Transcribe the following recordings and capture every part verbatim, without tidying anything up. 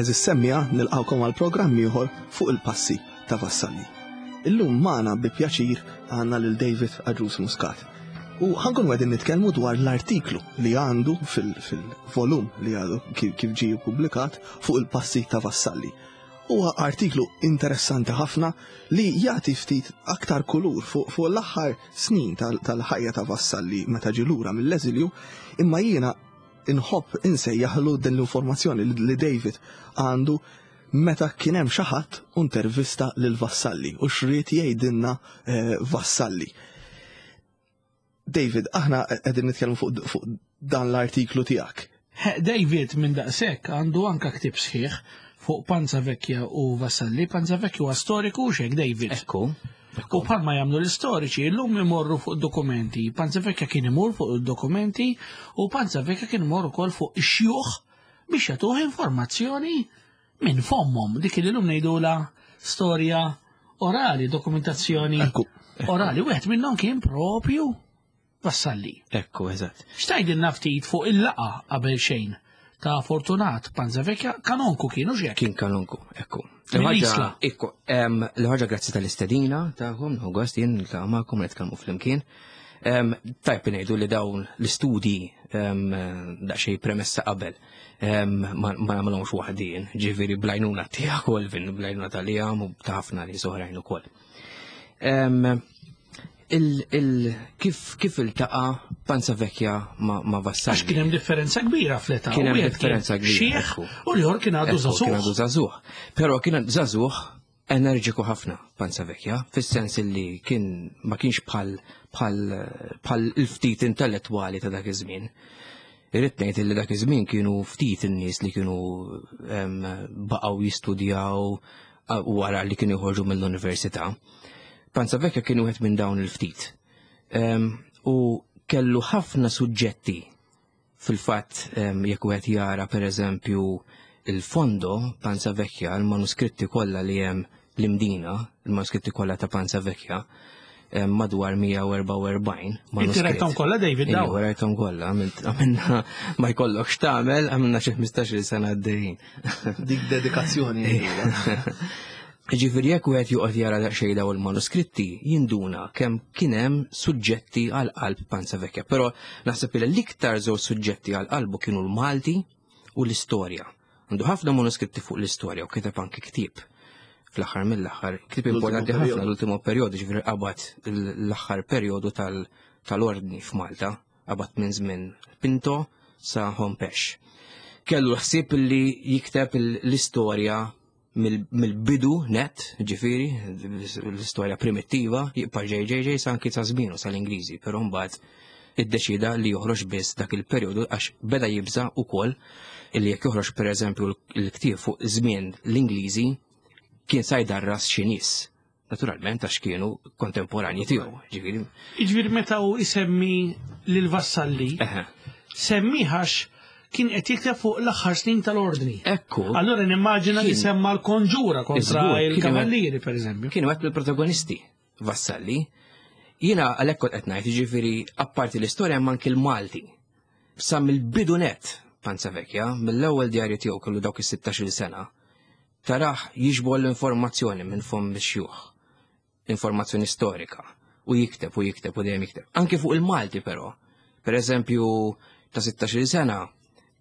Għeżież semmiegħa, nilqgħukom għal programm ieħor fuq il-passi ta' Vassalli. Illum magħna bi pjaċir għandna lil David Agius Muscat. U ħa nkunu qegħdin nitkellmu dwar l-artiklu li għandu fil-volum li għadu kif ġie publikat fuq il-passi ta' Vassalli. Huwa artiklu interessanti ħafna li jagħti ftit aktar kulur fuq fu l-aħħar snin tal-ħajja ta' Vassalli meta ġie lura mill-eżilju, imma jiena inħobb insejjaħlu din l-informazzjoni li David għandu meta kien hemm xi ħadd intervista lil Vassalli u x'ried jgħidilna eh, Vassalli. David, aħna qegħdin nitkellmu fuq fu dan l-artiklu tiegħek. David minn daqshekk għandu anka ktib sħiħ fuq Panzavecchia u Vassalli. Panzavecchia huwa storiku u xek, David. Ekku. U bħalma jagħmlu l-istoriċi, illum imorru fuq dokumenti. Panzavecchia kien imur fuq dokumenti u Panzavecchia kien imur ukoll fuq ix-xjuħ biex jagħtuh informazzjoni minn fommhom. Dik li llum ngħidula storja orali, dokumentazzjoni Ekku. orali. Wieħed minnhom kien propju Vassalli. Ekku, eżatt. X'tgħidilna ftit fuq il-laqgħa qabel xejn ta' Fortunat Panzavecchia, kanonku kienu xek? Kien kanonku, ekku. Mill-Isla. Ekku, em, l-ħaġa grazzi tal-istedina tagħkom, gost jien niltaqa' magħkom nitkellmu flimkien. Em, Tajb ngħidu li dawn l-istudji em, daqsxejn premessa qabel em, ma ma nagħmilhomx waħdin, ġifieri bl-għajnuna tiegħek Olvin, bl-għajnuna tal-jam u ta' ħafna nies oħrajn ukoll. Em, il, il, kif, kif iltaqa' Panzavecchia ma, ma Vassalli? Għax kien hemm differenza kbira fl-età. Kien hemm Wieħed differenza kbira, Xieħ ekku. u l-ieħor kien għadu Ekku, kien għadu żagħżugħ. żagħżugħ. Però kien żagħżugħ enerġiku ħafna Panzavecchia, fis-sens li kien ma kienx bħal bħal bħal il-ftit intellettwali ta' dak iż-żmien. Irrid ngħid li dak iż-żmien kienu ftit in-nies li kienu em, baqgħu jistudjaw a- wara li kienu joħorġu mill-università. Panzavecchia kien wieħed minn dawn il-ftit. Em, U kellu ħafna suġġetti fil-fatt em, jekk wieħed jara pereżempju il-fondo Panzavecchia, il-manuskritti kollha li hemm l-Imdina, il-manuskritti kollha ta' Panzavecchia, em, madwar mija u erbgħa u erbgħin Inti rajthom kollha, David, daw? Ejja, rajthom kollha, għamilt- għamilna ma jkollokx tagħmel, għamilna xi ħmistax-il sena għaddejjin. Dik dedikazzjoni. Ġifieri jekk wieħed joqgħod jara daqsxejn dawn il-manuskritti, jinduna kemm kien hemm suġġetti għal qalb Panzavecchia. Però naħseb li l-iktar żewġ suġġetti għal qalbu kienu l-Malti u l-istorja. Għandu ħafna manuskritti fuq l-istorja u kiteb anke ktieb fl-aħħar mill-aħħar, ktieb L-ultimo importanti ħafna perjodu. l-ultimo perjodu, ġifieri qabad l-aħħar perjodu tal- tal-ordni f'Malta, qabad minn żmien Pinto sa Hompesch. Kellu ħsieb li jikteb l-istorja mill- mill-bidu net, ġifieri, l-istorja primittiva, jibqa' ġej ġej ġej sa anki sa żmienu sal-Ingliżi, però mbagħad iddeċida li joħroġ biss dak il-perjodu għax beda jibża ukoll illi jekk joħroġ pereżempju l-ktieb fuq żmien l-Ingliżi kien sa jdarras xi nies. Naturalment għax kienu kontemporanji tiegħu, ġifieri. Jiġifieri meta hu isemmi lil Vassalli, Eħe. semmiħax kien qed jikteb fuq l-aħħar snin tal-ordni. Ekku. Allora nimmaġina li Kien- semma l-konġura kontra Iżgur, kien il-kavallieri, per eżempju. Kienu għet mill-protagonisti Vassalli. Jiena għalhekk kont qed ngħid, jiġifieri apparti l-istorja hemm anki l-Malti. Sa mill-bidu net Panzavecchia, mill-ewwel djarju tiegħu kellu dawk is-sittax-il sena, taraħ jiġbor l-informazzjoni minn fomm ix-xjuħ, informazzjoni storika, u jikteb u jikteb u dejjem jikteb. Anki fuq il-Malti però. Per eżempju, ta' sittax-il sena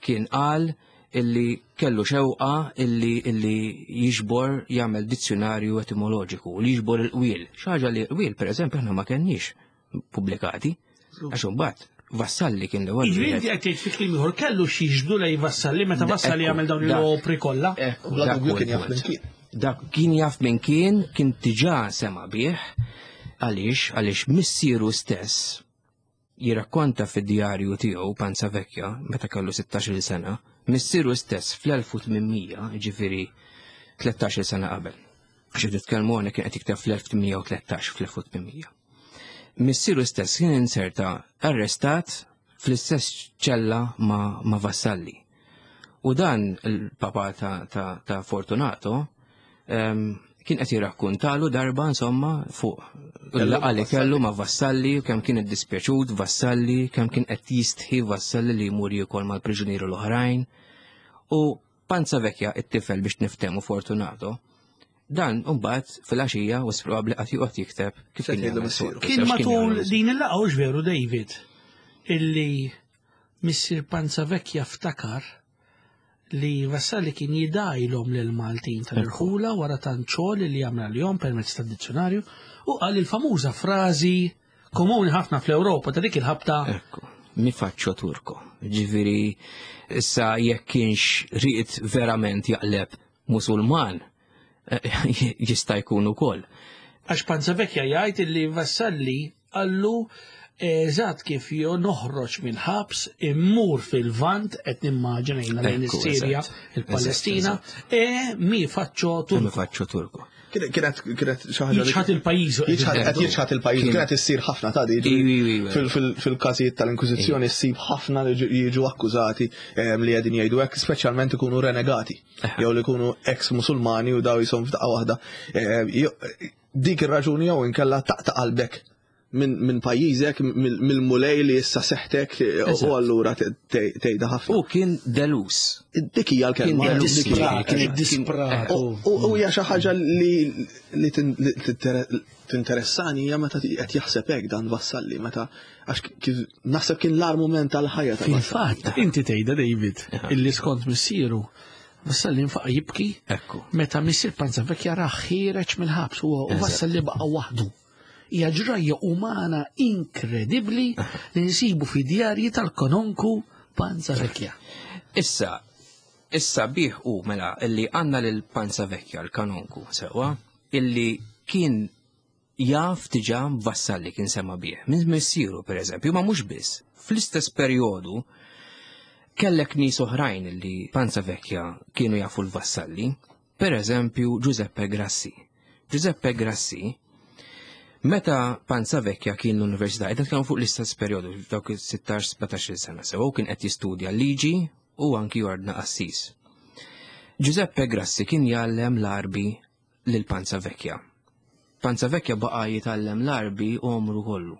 kien qal illi kellu xewqa illi illi jiġbor jagħmel dizzjonarju etimoloġiku li jiġbor il-qwiel. Xi ħaġa li qwiel pereżempju aħna ma kenniex pubblikati. Għax imbagħad Vassalli kien l-ewwel Jiġifieri wieħed. inti qed tgħid fi kliem ieħor kellu xi jiġbdu lej Vassalli meta Vassalli Ekku, jagħmel dawn dak. l-opri kollha. Ekku, Bla dak dubju huwa kien jaf il-punt. minn kien. Dak kien jaf minn kien, kien diġà sema bih, għaliex, għaliex missieru stess jirrakkonta fid-djarju tiegħu Panzavecchia meta kellu sittax-il sena, missieru stess fl-elf u tmien mija, ġifieri tlettax-il sena qabel. Għax nitkellmu hawnhekk kien qed jikteb fl-elf tmien mija u tlettax, fl-elf u tmien mija. Missieru stess kien inserta arrestat fl-istess ċella ma, ma Vassalli. U dan il-papa ta', ta, ta Fortunato em, kien qed jirrakkuntalu darba insomma fuq il-laqgħa li kellu ma' Vassalli, kemm kien iddispjaċut Vassalli, kemm kien qed jistħi Vassalli li jmur jiekol mal-priġunieri l-oħrajn. U Panzavecchia it-tifel biex niftehmu Fortunato, dan mbagħad fil-għaxija u probabbli qatt joqgħod jikteb kif Se kien tgħidlu jagħmel missieru. soltu, Kien x'kien matul jagħmel. din il-laqgħa hux veru David illi missier Panzavecchia ftakar li Vassalli kien jidgħilhom lil Maltin tal-irħula wara tant xogħol li jagħmel għalihom permezz tad-dizzjonarju u qal il-famuża frażi komuni ħafna fl-Ewropa ta' dik il-ħabta Ekku, mi faccio turco. Ġifieri, issa jekk kienx ried verament jaqleb musulman, eh, jista' jkun ukoll. Għax Panzavecchia jgħid illi Vassalli qallu eżatt kif jo noħroġ mill-ħabs immur fil-Lvant qed nimmaġina jiena lejn Ekku, is-Sirja, eżatt. il-Palestina, e mi faccio Mi turco. faccio turco. Kienet kienet xi ħaġa li- Jiċħat il-pajjiż. Jiċħat qed jiċħat il-pajjiż, Kien- kienet issir ħafna ta' di. Iwi, iwi, iwi. Fil- fil- Fil-każijiet tal-Inkwiżizzjoni ssib ħafna li ġi- jiġu akkużati em, li qegħdin jgħidu hekk, speċjalment ikunu renegati jew li jkunu ex-Musulmani u daw jisom f'daqqa waħda. Em, jo- Dik ir-raġuni jew inkella taqta' qalbek minn min pajjiżek, mill- mill-mulej li issa seħtek u Eżatt. allura te- te- tgħidha ħafna. U kien delus. Dik hija l-kelma. Kien dik hija Disprat, kien disprat. U u hija xi ħaġa li li tin- li tinter- tinteressani hija meta qed jaħseb hekk dan Vassalli meta għax kif naħseb kien l-agħar mument tal-ħajja ta' Vassalli. Fil-fatt, inti tgħidha David, illi skont missieru Vassalli nfaqa jibki Ekku. meta missier Panzavecchia rah ħiereġ mill-ħabs huwa u Vassalli baqa' waħdu. Hija ġrajja umana inkredibbli li nsibu fi djarji tal-kanonku Panzavecchia. Issa, issa bih u mela illi għandna lil Panzavecchia l-kanonku sewa, illi kien jaf diġà Vassalli kien sema bih. Minn missieru per eżempju, ma mhux biss. Fl-istess perjodu kellek nies oħrajn illi Panzavecchia kienu jafu l-Vassalli, per eżempju Giuseppe Grassi. Giuseppe Grassi Meta Panzavecchia kien l-università, qed nitkellmu fuq l-istess perjodu, dawk il-sittax sbatax-il sena sew, kien qed jistudja liġi u anki jordna qassis. Giuseppe Grassi kien jgħallem l-Arbi lil Panzavecchia. Panzavecchia baqa' jitgħallem l-Arbi għomru kollu.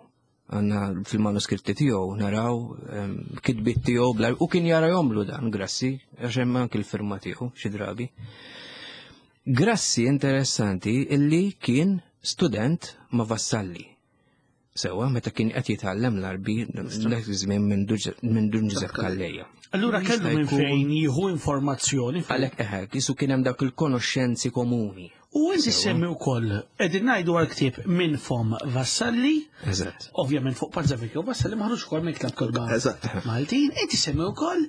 Għandna fil-manuskritti tiegħu naraw em, kitbiet tiegħu bl u kien jara jomlu dan Grassi, għax hemm anki l-firma tiegħu xi drabi. Grassi interessanti illi kien student ma' Vassalli. Sewa, meta kien qed jitgħallem l-Arbi dak iż-żmien minn Dun- minn Dun Giuseppe Calleja. Allura kellu Jista' minn jkun- fejn jieħu informazzjoni. fuq- Għalhekk eħe, jisu kien hemm dawk il-konoxxenzi komuni. U inti semmi wkoll qegħdin ngħidu għal ktieb minn fom Vassalli, Eżatt. ovvjament fuq Panzavecchia u Vassalli maħruġ ukoll minn Klabb Kotba Eżatt. Maltin, inti semmi wkoll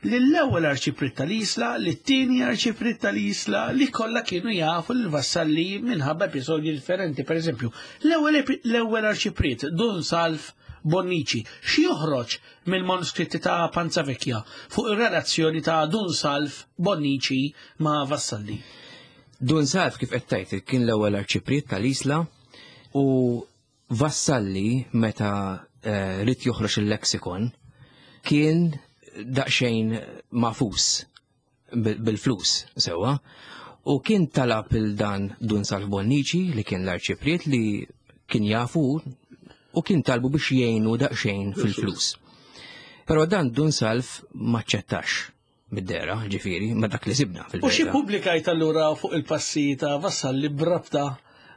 li l-ewwel arċipriet tal-Isla, li t-tieni arċipriet tal-Isla, li kollha kienu jafu l-Vassalli minħabba episodji differenti. Per eżempju, l-ewwel epi- l-ewwel arċipriet Dun Salv Bonnici, xi joħroġ mill-manuskritti ta' Panzavecchia fuq ir-relazzjoni ta' Dun Salv Bonnici ma' Vassalli. Dun Salv kif qed tgħid kien l-ewwel arċipriet tal-Isla u Vassalli meta eh, ried joħroġ il-lexikon kien daqsxejn magħfus bil- bil-flus sewwa u kien talab il dan Dun Salv Bonnici li kien l-arċipriet li kien jafu u kien talbu biex jgħinu daqsxejn fil-flus. Però dan Dun Salv maċċettax mid-dehra, ġifieri, ma dak li sibna U xi fil-verità. pubblikajt allura fuq il-passi ta' Vassalli brabta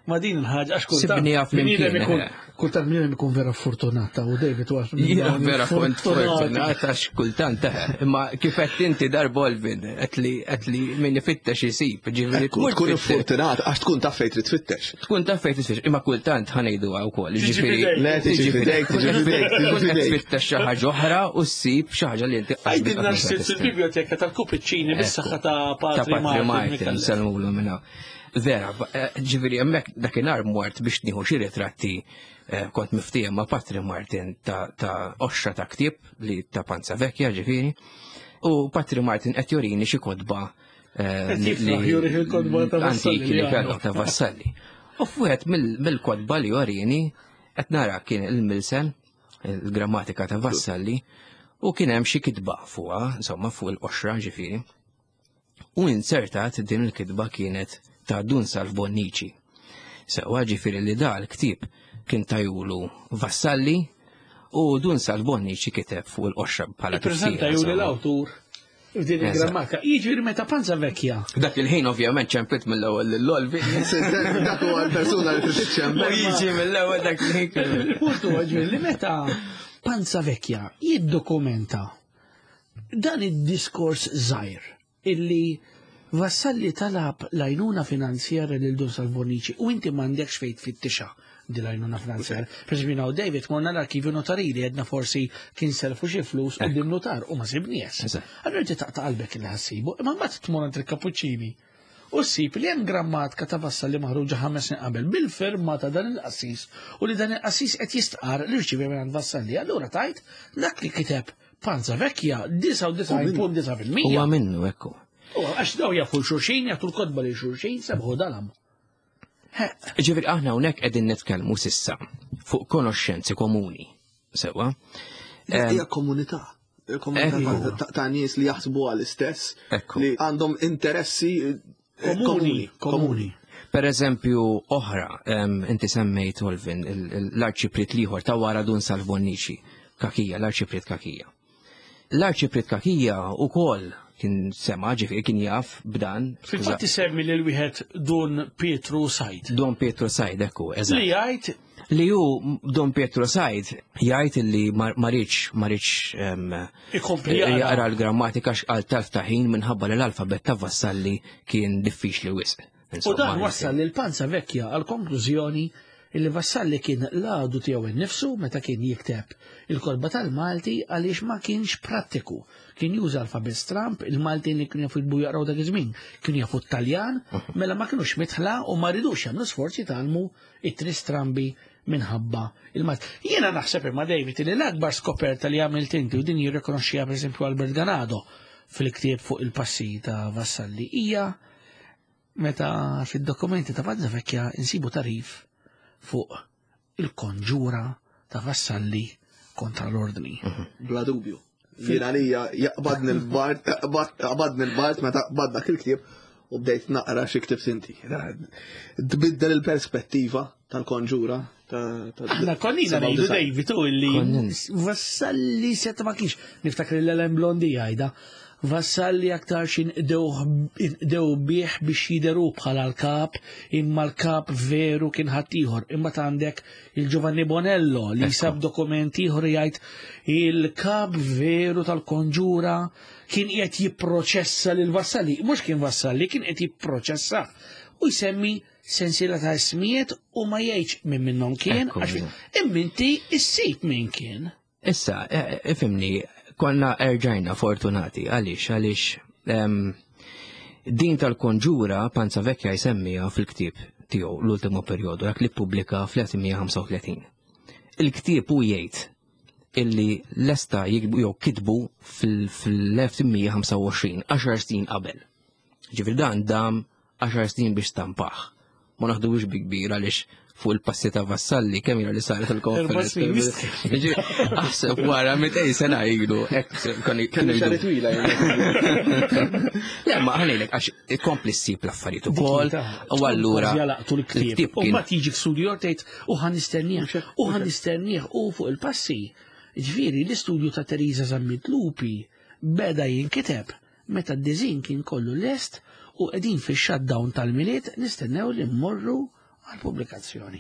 ma' din il-ħaġa għax kultant Sibniha flimkien, bniedem ikun eh. kultant bniedem ikun vera fortunata u David huwa Jiena vera kont fortunat għax kultant eh, imma kif qed inti dar Bolvin qed li qed li min ifittex isib, ġifieri Ekku, tmur tkun tfittex. fortunat għax tkun taf fejn trid tfittex. Tkun taf fejn tfittex, imma kultant ħa ngħidu wkoll, Tiġi ġifieri f'idejk. Le, tiġi f'idejk, tiġi f'idejk, tiġi Tkun qed f'idejk. tfittex xi ħaġa oħra u ssib xi ħaġa li inti Għajdilna x'sibt fil-biblioteka tal-Kupiċċini bis-saħħa ta' ta' Patri Patri Martin. Martin, Micallef. sellmulu minna. Vera, eh, ġifieri hemmhekk dakinhar mort biex nieħu xi ritratti eh, kont miftiehem ma' Patri Martin ta' ta' qoxra ta' ktieb li ta' Panzavecchia ġifieri. U Patri Martin qed jorini xi kotba eh, Qed li- jifraħ li- jurih il-kotba ta' Vassalli antiki li li kellu għandu. ta' Vassalli. U f'wieħed mill- mill-kotba li jorini qed nara kien il-Milsen, il-grammatika ta' Vassalli, u kien hemm xi kitba fuqha, insomma fuq il-qoxra ġifieri. U insertat din il-kitba kienet ta' Dun Salv Bonnici. Sewa ġifieri li da l-ktib kien tajulu Vassalli u Dun Salv Bonnici kiteb fuq il-qoxra bħala Ippreżenta tifsira, juri insomma. l-awtur F'din il-grammatika. Jiġifieri meta Panzavecchia. Dak il-ħin ovvjament ċempit mill-ewwel lill-Olvi. Dak huwa l-persuna li trid iċċempel. U jiġi mill-ewwel dak il-ħin. Il-punt huwa ġifieri li meta Panzavecchia jiddokumenta dan id-diskors żgħir illi Vassalli talab l-għajnuna finanzjarja lil Dun Salv Bonnici u inti m'għandekx fejn tfittixa di l-għajnuna finanzjarja. Per eżempju, jiena u David morna l-arkivju notarili għedna forsi kien selfu xi flus u din notar u ma sibnies. Allura inti taqta' qalbek li ħassibu, imma mbagħad tmur għand il-Kapuċċini u ssib li hemm grammatika ta' Vassalli maħruġa ħames snin qabel bil-firma ta' dan il-qassis u li dan il-qassis qed jistqar li rċivi minn Vassalli. Allura tajt dak li kiteb Panzavecchia disgħa u disgħin punt disa' fil-mija. Huwa minnu ekku. U għax daw jafu xulxin, jagħtu l-kotba li xulxin, sebħu dalam. Ġifieri aħna hawnhekk qegħdin nitkellmu sissa fuq konoxxenzi komuni. Sewwa. Hija komunità. Komunità ta' nies li jaħsbu għall-istess, li għandhom interessi komuni. Komuni. Per eżempju, oħra, inti semmejt Olvin, l-arċipriet l-ieħor ta' wara Dun Salv Bonnici, Kakija, l-arċipriet Kakija. L-arċipriet Kakija ukoll kien sema, ġifieri kien jaf b'dan. Fil-fatt isemmi lil wieħed Dun Pietru Said. Dun Pietru Said, ekku, eżatt. Li jgħid li hu Dun Pietru Said jgħid li ma rridx ma rridx ikompli jaqra l-grammatika għal telf ta' ħin minħabba li l-alfabet ta' Vassalli kien diffiċli wisq. U dan wassal lil Panzavecchia għal konklużjoni illi Vassalli kien l-għadu tiegħu innifsu meta kien jikteb il-kolba tal-Malti għaliex ma kienx prattiku. Kien juża alfabet stramp, il-Maltin li kienu jafu jitbu jaqraw dak iż-żmien, kienu jafu t-Taljan, mela ma kienux mitħla u ma ridux jagħmlu sforzi tgħallmu it-tri strambi minħabba il-Malti. Jiena naħseb imma David li l-akbar skoperta li għamilt inti u din jirrikonoxxiha pereżempju Albert Ganado fil-ktieb fuq il-passi ta' Vassalli hija meta fid-dokumenti ta' Panzavecchia insibu tarif fuq il-konġura ta' Vassalli kontra l-ordni. Bla dubju. Jien għalija jaqbadni l-bart, jaqbadni l-bart meta qbad dak il-ktieb u bdejt naqra xi ktibt inti. Tbiddel il-perspettiva tal-konġura. Aħna konnina ngħidu David u illi Vassalli seta ma kienx. Niftakar l-Ellen Blondi jgħidha. Vassalli aktar xin dew bih biex jideru bħala l-kap, imma l-kap veru kien ħaddieħor. Imma għandek il-Giovanni Bonello li sab dokumenti ieħor jgħid il-kap veru tal-konġura kien qed jipproċessa lil Vassalli, mhux kien Vassalli, kien qed jipproċessa u jsemmi sensiela ta' ismijiet u ma jgħidx minn minnhom kien, għax imma inti issib min kien. Issa, ifhimni, konna erġajna fortunati, għaliex, għaliex din tal-konġura Panzavecchia jsemmiha fil-ktieb tiegħu l-ultimo perjodu, dak li ppubblika fl-elf tmien ħamsa u tletin. Il-ktieb hu jgħid illi lesta jikbu jew kitbu fil-elf tmien ħamsa u għoxrin, għaxar snin qabel. Ġifieri dan dam għaxar snin biex stampah. Ma naħduwix bi kbir għaliex fuq il-passi ta' Vassalli kemm ila li saret il-konferenza. Aħseb wara mitej sena ilu hekk kienu xahar twila. Le ma ħanejlek għax ikompli ssib l-affarijiet ukoll u allura jalaqtu l-ktieb. U mbagħad jiġi f'studju tgħid u ħa nistennieh u ħa nistennieh u fuq il-passi. Ġifieri l-istudju ta' Teresa Zammit Lupi beda jinkiteb meta d-diżin kien kollu lest u qegħdin fix-shutdown tal-Milied nistennew li mmorru għal-pubblikazzjoni.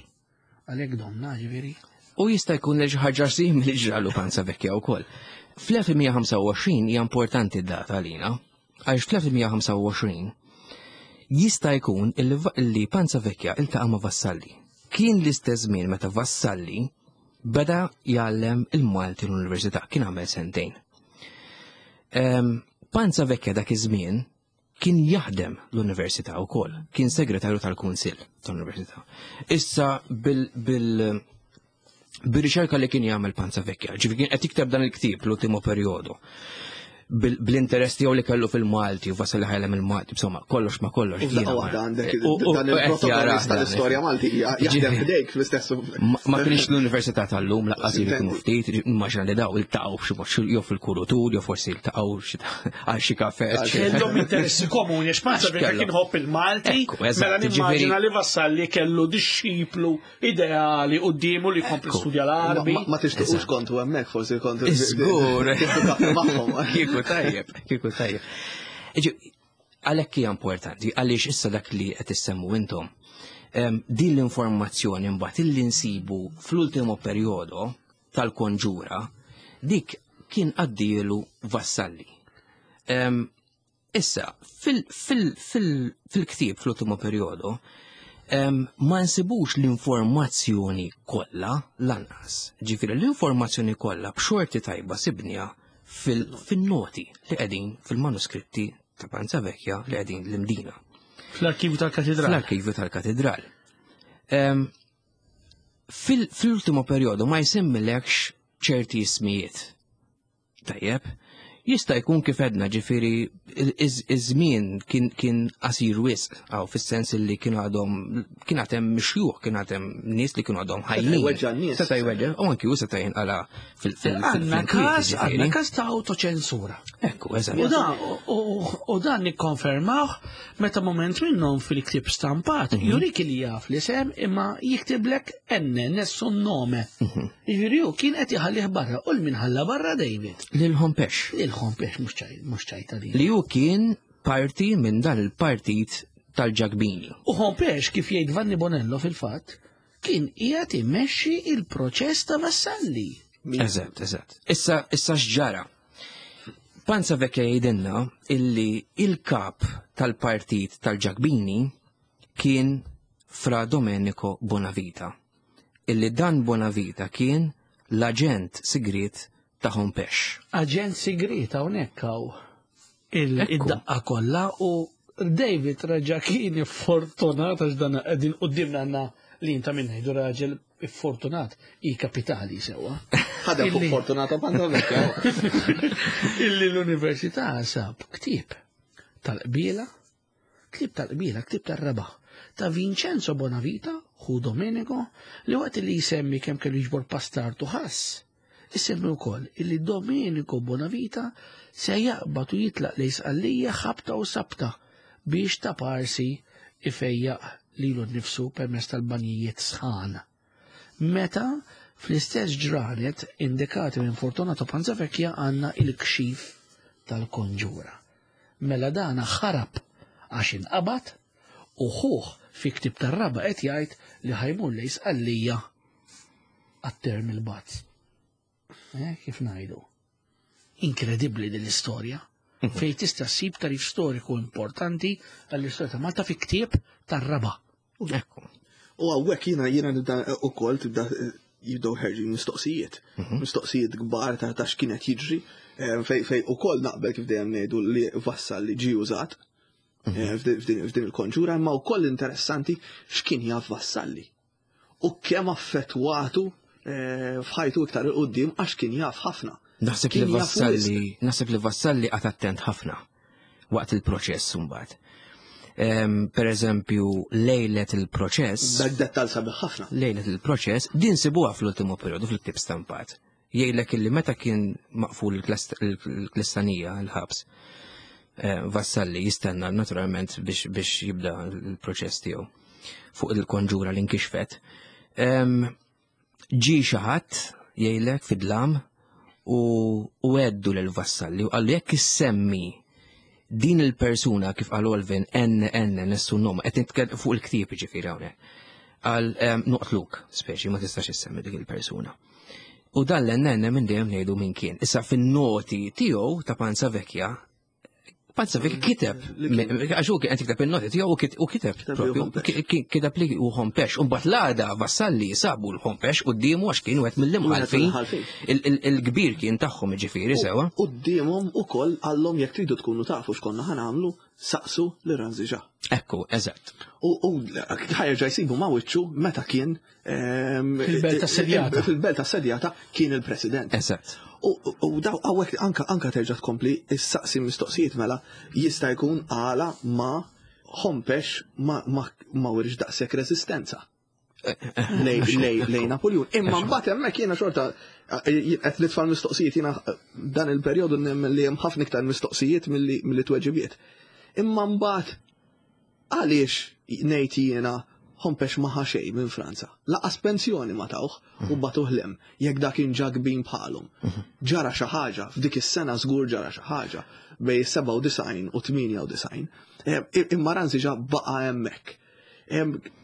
Għalhekk domna ġifieri. U jista' jkun li xi ħaġa simili ġralu Panzavecchia wkoll. Fl-elf tmien ħamsa u għoxrin hija importanti d-data għalina, għaliex fl-elf tmien ħamsa u għoxrin jista' jkun illi Panzavecchia iltaqa' ma' Vassalli. Kien l-istess żmien meta Vassalli beda jgħallem il-Malti l-Università, kien għamel sentejn. Panzavecchia dak iż-żmien kien jaħdem l-Università wkoll, kien segretarju tal-Kunsill tal-Università. Issa bil, bil, bil-riċerka li kien jagħmel Panzavecchia, ġifieri kien qed jikteb dan il-ktieb l-ultimo perjodu, bl-interess tiegħu li kellu fil-Malti u Vassalli ħajlem il-Malti, insomma, kollox ma kollox. U f'daqqa waħda għandek dan il-protagonist tal-istorja Malti jaħdem ħdejk fl-istess. Ma kienx l-Università tal-lum laqqas li kienu ftit, immaġina li daw iltaqgħu f'xi mod jew fil-kurutur jew forsi iltaqgħu għal xi kafè. Kellhom interessi komuni għax Panzavecchia kien ħobb il-Malti, mela nimmaġina li Vassalli kellu dixxiplu ideali quddiemu li jkompli studja l-Arbi. Ma tixtiequx kontu hemmhekk forsi kontu. Żgur. Magħhom. Kieku Kieku tajjeb, kieku tajjeb. Għalhekk hija importanti, għaliex issa dak li qed issemmu intom. Din l-informazzjoni mbagħad illi nsibu fl-ultimo perjodu tal-konġura, dik kien għaddielu Vassalli. Issa, fil-ktieb fl-ultimo perjodu, ma nsibux l-informazzjoni kollha lanqas. Ġifieri l-informazzjoni kollha b'xorti tajba sibnija fil-noti li qegħdin fil-manuskritti ta' Panzavecchia li qegħdin l-Imdina. Fl-arkivju tal-katedral. Fl-arkivju tal-katedral. Fil-ultimo perjodu ma jsemmilekx ċerti ismijiet. Tajjeb, jista' jkun kif edna ġifieri iż-żmien kien qasir wisq, għaw fis-sens li kien għadhom kien għad hemm xjuħ, kien għad hemm nies li kienu għadhom ħajjin. Seta' jweġġa' n-nies. Seta' jweġġa', u anki hu seta' jinqala' fil- Għandna każ, għandna każ ta' autoċensura. Ekku, eżatt. U dan, u dan nikkonfermawh meta moment minnhom fil-ktieb stampat, jurik li jaf li sem imma jiktiblek enne nessun nome. Jiġifieri hu kien qed iħallih barra u l-min ħalla barra David. Lil Hompesch. Lil Hompesch mhux ċajta li. Li hu kien parti minn dan il-partit tal-Ġakbini. U Hompesch, kif jgħid Vanni Bonello fil-fatt, kien qiegħed immexxi il-proċess ta' Vassalli. Eżatt, eżatt. Issa, issa x'ġara? Panzavecchia jgħidilna illi il-kap tal-partit tal-Ġakbini kien Fra Domenico Bonavita. Illi dan Bonavita kien l-aġent sigriet ta' Hompesch. Aġent sigriet hawnhekk hawn Ekku. id-daqqa kollha u David raġa kien fortunat għax dan qegħdin quddiemna għandna li inta minn ngħidu raġel fortunat i kapitali sewwa. Ħadem fuq Illi- Fortunato Panzavecchia. Illi l-università sab ktieb tal-qbiela, ktieb tal-qbiela, ktieb tar-raba' ta' Vincenzo Bonavita, hu Domenico, li waqt li jsemmi kemm kellu jiġbor pastartu ħass, isemmi wkoll illi Domenico Bonavita se jaqbad u jitlaq lejn Sqallija ħabta u sabta biex ta' parsi ifejjaq lilu nnifsu permezz tal-banjijiet sħan. Meta fl-istess ġranet indikati minn Fortunato Panzavecchia għandna il-kxif tal-konġura. Mela dana ħarab għax inqabad u ħuh fi ktieb tar-raba qed jgħid li ħajmur lejn Sqallija għat-term il-bazz. Eh, kif ngħidu? Inkredibbli din l-istorja. Fejn tista' ssib tarif storiku importanti għall-istorja ta' Malta fi ktieb tar-raba. Ekku. U hawnhekk jiena jiena nibda ukoll tibda jibdew ħerġin mistoqsijiet. Mistoqsijiet kbar ta' ta' x'kienet jiġri, fej fej ukoll naqbel kif dejjem ngħidu li Vassalli ġie użat f'din f'din il-konġura, imma wkoll interessanti x'kien jaf Vassalli. U kemm affettwatu f'ħajtu iktar 'il quddiem għax kien jaf ħafna. Naħseb li Kien jaf Vassalli, naħseb li Vassalli qagħad attent ħafna waqt il-proċess mbagħad. Per eżempju, lejlet il-proċess. Dak dettal sabiħ ħafna. Lejlet il-proċess, din sibuha fl-ultimo periodu fil-ktieb stampat. Jgħidlek illi meta kien maqful il-Klistanija, il-ħabs, Vassalli jistenna naturalment biex, biex jibda l-proċess tiegħu fuq il-konġura li nkixfet. Ġi xi ħadd jgħidlek fid-dlam u u għeddu lil Vassalli u qallu jekk issemmi din il-persuna kif qal Olvin N N nessun nome, qed nitkellem fuq il-ktieb ġifieri hawnhekk. Qal noqtluk, speċi ma tistax issemmi dik il-persuna. U dan l-N N minn dejjem ngħidu min kien. Issa fin-noti tiegħu ta' Panzavecchia, Panzavecchia kiteb, għax hu kien qed jikteb in-noti tiegħu u kit-, u kiteb Kiteb li propju, Hompesch. ki-, ki-, kiteb li hu Hompesch. U mbagħad l-għada Vassalli sabu l-Hompesch quddiemu għax kien wieħed mill-imħalfin. Wieħed mill-imħalfin. Il-, il-, il-kbir kien tagħhom jiġifieri sewwa. Quddiemhom ukoll qallhom jekk tridu tkunu tafu x'konna ħa nagħmlu, saqsu lil Ranzi Ġa. Ekku, eżatt. U, u ħajerġa' jsibu ma' wiċċu meta kien, ehm, Fil-belt assedjata. Fil-belt assedjata kien il-president. Eżatt. U, u, u daw hawnhekk anka, anka terġa' tkompli issaqsi mistoqsijiet mela jista' jkun għala ma Hompesch ma, ma, ma wirx daqshekk resistenza lej, lej, lej Napoleon. Imma mbagħad hemmhekk jiena xorta qed nitfa' l-mistoqsijiet jiena dan il-perjodu nemmen li hemm ħafna iktar mistoqsijiet milli, milli tweġibiet. Imma mbagħad għaliex ngħid jiena Hompesch ma ħa xejn minn Franza. Lanqas pensjoni ma tawh u bagħtuh 'l hemm, jekk dak kien ġa kbir bħalhom. Ġara xi ħaġa, f'dik is-sena żgur ġara xi ħaġa bejn sebgħa u disgħin u tmienja u disgħin. Imma Ranzi ġa baqa' hemmhekk.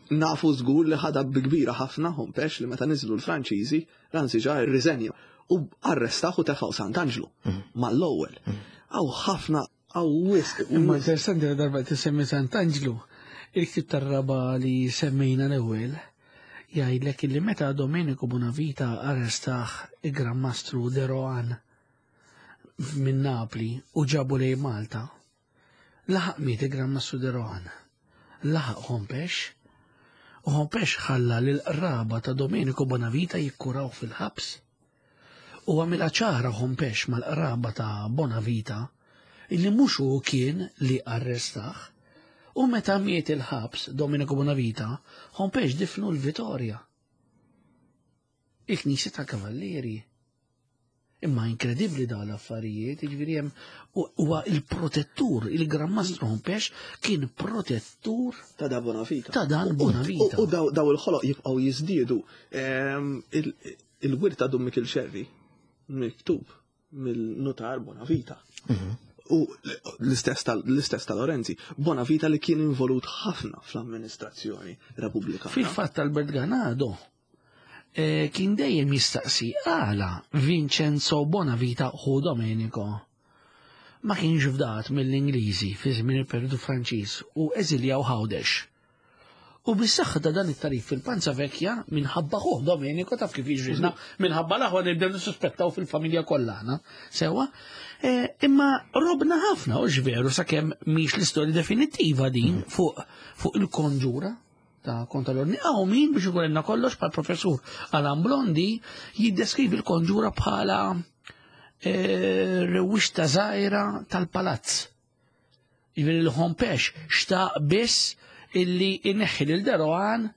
Nafu żgur li ħadha bi kbira ħafna Hompesch li meta niżlu l-Franċiżi, Ranzi ġa rriżenja u arrestaw u tefgħu Sant'Anġlu mal-ewwel. Hawn ħafna, hawn wisq. Imma interessanti li darba tisemmi Sant'Anġlu, il-ktib tar-raba li semmejna l-ewwel, jgħidlek li meta Domenico Bonavita arrestaħ il-Gran Mastru de Rohan minn Napli u ġabu lejn Malta, laħaq miet il-Gran Mastru de Rohan, laħaq Hompesch, u Hompesch ħalla l-qraba ta' Domenico Bonavita jikkuraw fil-ħabs. U għamilha ċara Hompesch mal-qraba ta' Bonavita illi mhux hu kien li arrestaħ. U meta miet il-ħabs Domenico Bonavita, Hompesch difnu l-Vitorja. Il-Knisja tal-Kavallieri. Imma inkredibbli da l-affarijiet, jiġifieri hemm huwa il-protettur, il-Gran Mastru Hompesch kien protettur ta' da Bonavita. Ta' dan Bonavita. U daw il-ħoloq jibqgħu jiżdiedu. Il-wirt ta' Dun Mikil Xerri miktub mill-notar Bonavita. U l-istess ta' Lorenzi, Bonavita li kien involut ħafna fl-amministrazzjoni repubblikana. Fil-fatt Albert Ganado eh, kien dejjem jistaqsi għala Vincenzo Bonavita hu Domenico ma kienx fdat mill-Ingliżi fi żmien il-periodu Franċiż u eżiljaw Għawdex. U bis-saħħa ta' dan it-tarif fil-Panza Vecchia minħabba ħuh Domenico, taf kif jiġrilna, minħabba l-aħwa nibdew nissuspettaw fil-familja kollha. Sewa, eh, imma robna ħafna u veru sakemm mhix l-istorja definittiva din fuq fuq il-konġura ta' kontra l-ordni. Hawn min biex ikun kollox bħal professur Alan Blondi jiddeskrivi l-konġura bħala eh, rewwixta żgħira tal-palazz. Jiġifieri l-Hompesch xtaq biss illi inneħħi lil de Rohan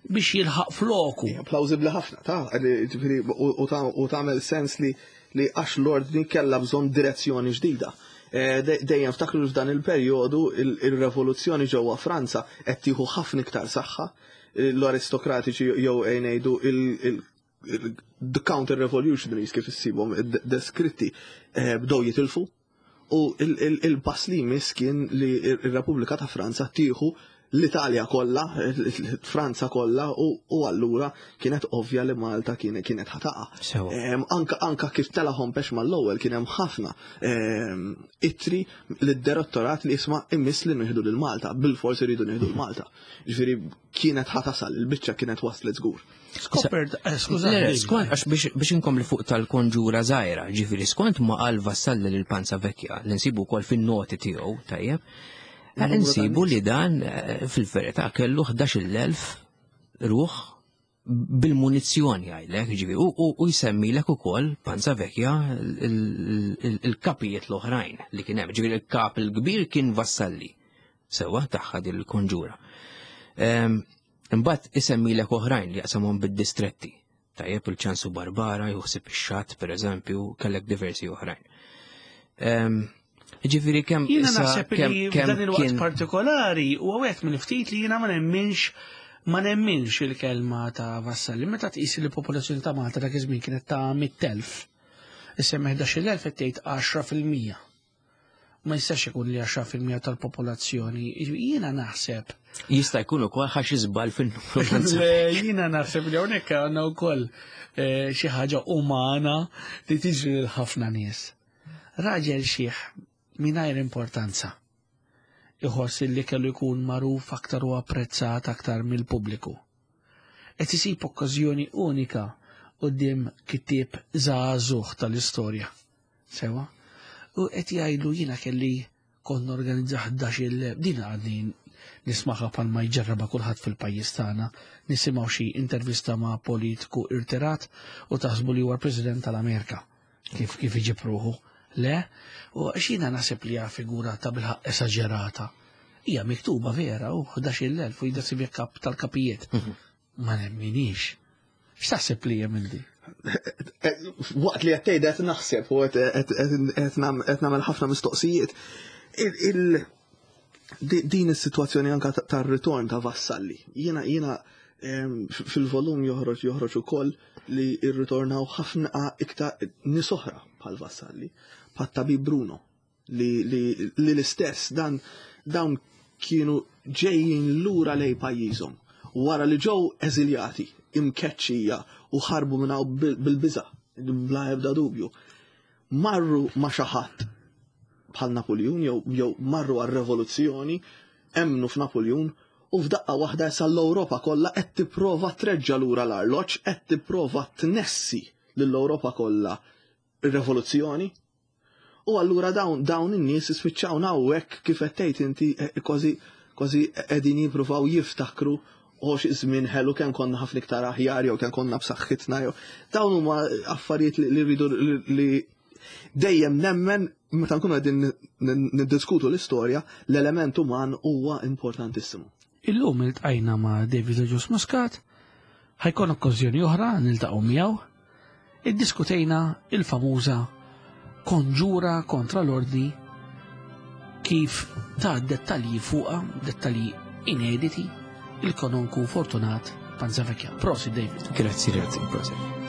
biex jilħaq floku. Plawzibli ħafna, ta' ġifieri, u tagħmel sens li li għax l-ordni kella bżonn direzzjoni ġdida. Eh, dejjem ftakru f'dan il-perjodu il-revoluzzjoni ġewwa Franza qed tieħu ħafna iktar saħħa, l-aristokratiċi jew ngħidu the counter revolutionaries kif issibhom deskritti eh, bdew jitilfu u il-pass li jmiss kien li il-Repubblika ta' Franza tieħu l-Italja kollha, Franza kollha u allura kienet ovvja li Malta kienet ħa taqa'. Anka anka kif tela Hompesch mal-ewwel kien hemm ħafna ittri lid-direttorat li jisma' immiss li nieħdu lil Malta, bil-forsi rridu nieħdu l Malta. Ġifieri kienet ħa tasal, il-biċċa kienet waslet żgur. Skopert, eh, skużani. Skont, għax biex inkompli fuq tal-konġura żgħira, ġifieri skont ma qal Vassalli lil Panza Vecchia, li nsibu wkoll fin-noti tiegħu, tajjeb, nsibu li dan eh, fil-verità kellu ħdax-il elf ruħ bil-munizzjoni għajlek, ġifieri, u jsemmilek ukoll Panza Vecchia il-kapijiet l-oħrajn li kien hemm, ġifieri il-kap il-kbir kien Vassalli, sewa tagħha din il-konġura. Imbagħad isemmilek oħrajn li jaqsamhom bid-distretti. Tajjeb, il-Ċansu Barbara, juħsib ix-xatt, per eżempju, kellek diversi oħrajn. Ġifieri kemm Jiena naħseb li f'dan il-waqt partikolari u għawet minn ftit li jiena ma nemminx ma nemminx il-kelma ta' Vassalli. Meta tqis li l-popolazzjoni ta' Malta dak iż-żmien kienet ta' mitt elf. Issemmi ħdax-il elf qed tgħid għaxra fil-mija. Ma jistax ikun li għaxra fil-mija tal-popolazzjoni. Jiena naħseb. Jista' jkun ukoll ħax iżbal fin-numru. Le, jiena naħseb li hawnhekk għandna wkoll eh, xi ħaġa umana li tiġri lil ħafna nies. Raġel xiħ mingħajr importanza iħoss li kellu jkun magħruf aktar u apprezzat aktar mill-pubbliku. Qed isib okkażjoni unika quddiem kittieb żagħżugħ tal-istorja. Sewa? U qed jgħidlu jiena kelli kont norganizza ħdax il din għadni nismaħa bħalma jġarraba kulħadd fil-pajjiż tagħna, nisimgħu xi intervista ma' politiku irtirat u taħsbu li huwa l-President tal-Amerika. Kif kif iġib ruħu. Le, u xina naħseb li hija figura ta' bilħaq esaġerata. Hija miktuba vera u ħdax-il elf u jidasib kap tal-kapijiet. Ma nemminix. X'taħseb li hemm di? Waqt li qed tgħid qed naħseb u qed nagħmel ħafna mistoqsijiet. Din is-sitwazzjoni anka tar-ritorn ta' Vassalli. Jiena jiena fil-volum joħroġ joħroġ ukoll li rritornaw ħafna iktar nies oħra bħal Vassalli, bħal tabib Bruno, li, li, li l-istess dan dawn kienu ġejjin lura lej pajjiżhom wara li ġew eżiljati, imkeċċija u ħarbu minn hawn bil-biża, bla ebda dubju. Marru ma' xi ħadd bħal Napoleon jew jew marru għar-revoluzzjoni, emmnu f'Napoleon u f'daqqa waħda issa l-Ewropa kollha qed tipprova treġġa' lura l-arloġġ, qed tipprova tnessi lill-Ewropa kollha ir-revoluzzjoni. U allura dawn dawn in-nies ispiċċaw hawnhekk kif qed tgħid inti eh, kważi kważi qegħdin jippruvaw jiftakru u xi żmien ħelu kemm konna ħafna iktar aħjar jew kemm konna b'saħħitna jew dawn huma affarijiet li rridu li dejjem nemmen meta nkunu qegħdin niddiskutu l-istorja, l-element uman huwa importantissimu. Illum iltqajna ma' David Agius Muscat, ħa jkun okkażjoni oħra niltaqgħu miegħu, iddiskutejna il-famuża konġura kontra l-ordni kif ta' dettalji fuqha, dettalji inediti, il-kanonku Fortunat Panzavecchia. Prosit, David. Grazzi, grazzi, prosit.